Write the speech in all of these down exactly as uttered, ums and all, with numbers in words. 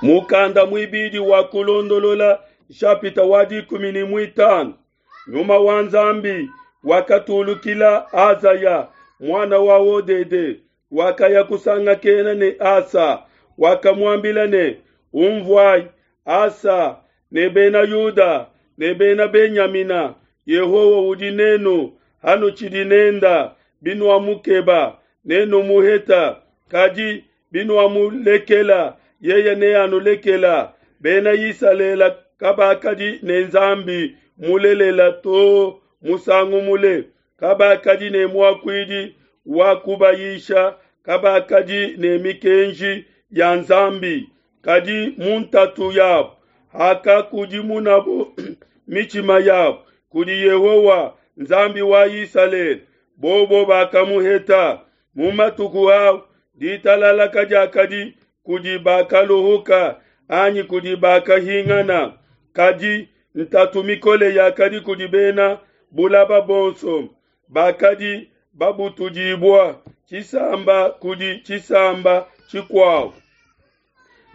Mukanda muibidi wa kulondolola nshapita wa dikumi ne muitanu. Nyuma wa Nzambi wakatulukila Azaya muana wa Odede, wakaya kusangakena ne Asa, wakamuambila ne: Umvuai Asa ne bena Yuda ne bena Benyamina, Yehowa udi nenu hanutshidi nenda, binuamukeba nenumuheta, kadi binuamulekela yeye neanulekela. Bena Isalele kabakadi ne Nzambi mulelela to musangu mule, kabakadi ne muakuidi wa kubayisha, kabakadi ne mikenji ya Nzambi. Kadi mu ntatu yabo hakakudimunabo mitshima yabo kudi Yehowa Nzambi wa Isalele, bobo bakamuheta. Mu matuku au ditalala kadiakadi kudi bakaluhuka anyi kudi bakahingana, kadi ntatu mikole yakadi kudi bena bulaba bonso bakadi babutudibua tshisamba kudi tshisamba tshikuabo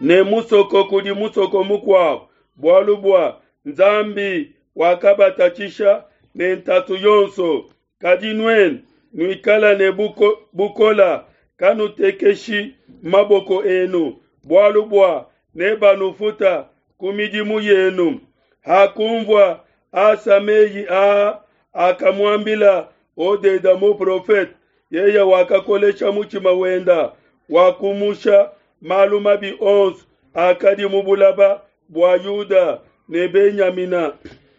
ne musoko kudi musoko mukuabo, bualu bua Nzambi wakabatatshisha ne ntatu yonso. Kadi nuenu nuikala ne buko, bukola, kanutekeshi maboko enu, bualu bua nebanufuta ku midimu yenu. Hakunvua Asa meyi aa akamuambila Odeda muprofete, yeye wakakolesha mutshima wenda, wakumusha malu mabi onso akadi mu bulaba bua Yuda ne Benyamina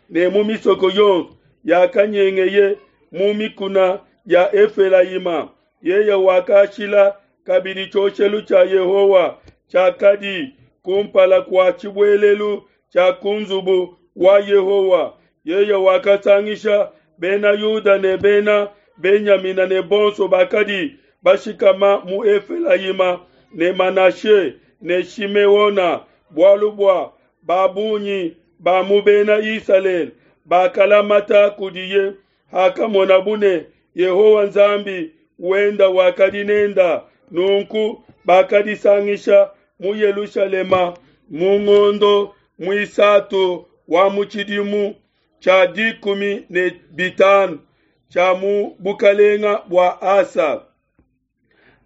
ne mu misoko yonso yakanyengeye mu mikuna ya Efelayima. Yeye wakashila kabidi tshioshelu tshia Yehowa tshiakadi kumpala kua tshibuelelu tshia ku nzubu wa Yehowa. Yeye wakasangisha bena Yuda ne bena Benyamina ne bonso bakadi bashikama mu Efelayima ne Manashe ne Shimeona, bualu bua ba bungi ba mu bena Isalele bakalamata kudiye hakamonabu ne Yehowa Nzambi wenda wakadi nenda. Nunku bakadisangisha mu Yelushalema mu ngondo muisatu wa mu tshidimu tshia dikumi ne bitanu tshia mu bukalenga bua Asa.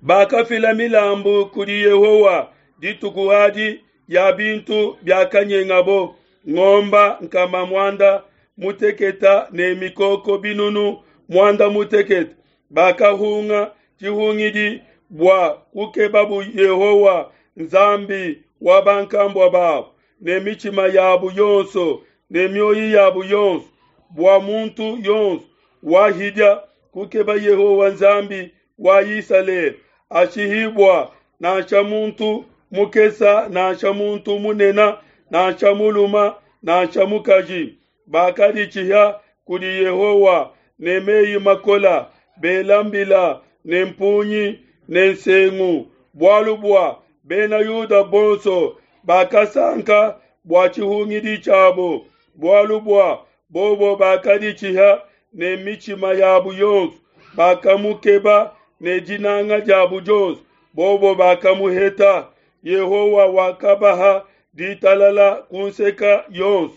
Bakafila milambu kudi Yehowa dituku adi ya bintu biakanyengabo, ngomba nkama muanda muteketa ne mikoko binunu muanda muteketa. Bakahunga tshihungidi bua kukebabu Yehowa Nzambi wa bankambua babo ne mitshima yabo yonso ne mioyo yabo yonso, bua muntu yonso wahidia kukeba Yehowa Nzambi wa Isalele ashihibua, nansha muntu mukesa nansha muntu munene nansha muluma nansha mukaji. Bakaditshiha kudi Yehowa ne meyi makola, bela mbila ne mpungi ne nsengu, bualu bua bena Yuda bonso bakasanka bua tshihungidi tshiabo, bualu bua bobo bakaditshiha ne mitshima yabo yonso, bakamukeba ne dinanga diabo dionso, bobo bakamuheta. Yehowa wakabaha ditalala ku nseka yonso.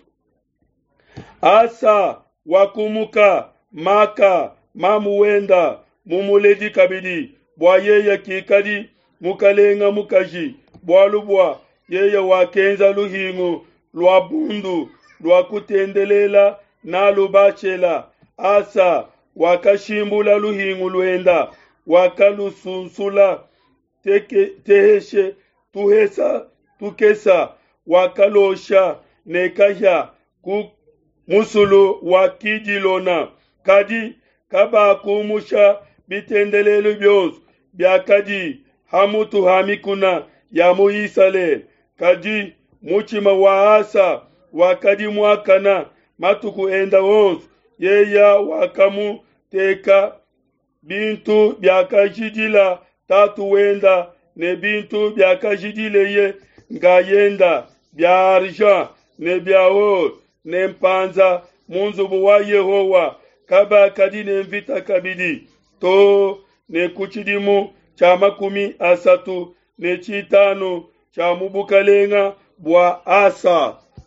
Asa wakumuka Maka mamu wenda mumuledi kabidi, bua yeye kikadi mukalenga mukaji, bualu bua yeye wakenza luhingu lua bundu lua kutendelela nalu Bashela. Asa wakashimbula luhingu luenda, wakalusunsula teke, teheshe tuhesa tukesa, wakalosha ne kahia ku musulu wa Kidilona. Kadi kabakumusha bitendelelu bionso biakadi ha mutu ha mikuna ya mu Isalele. Kadi mutshima wa Asa wakadi muakana matuku enda onso, yeye wakamuteka bintu biakajidila tatu wenda ne bintu biakajidileye nkayenda bia argent ne bia or ne mpanza mu nzubu wa Yehowa. Kabakadi ne mvita kabidi to ne ku tshidimu tshia makumi asatu ne tshitanu tshia mu bukalenga bua Asa.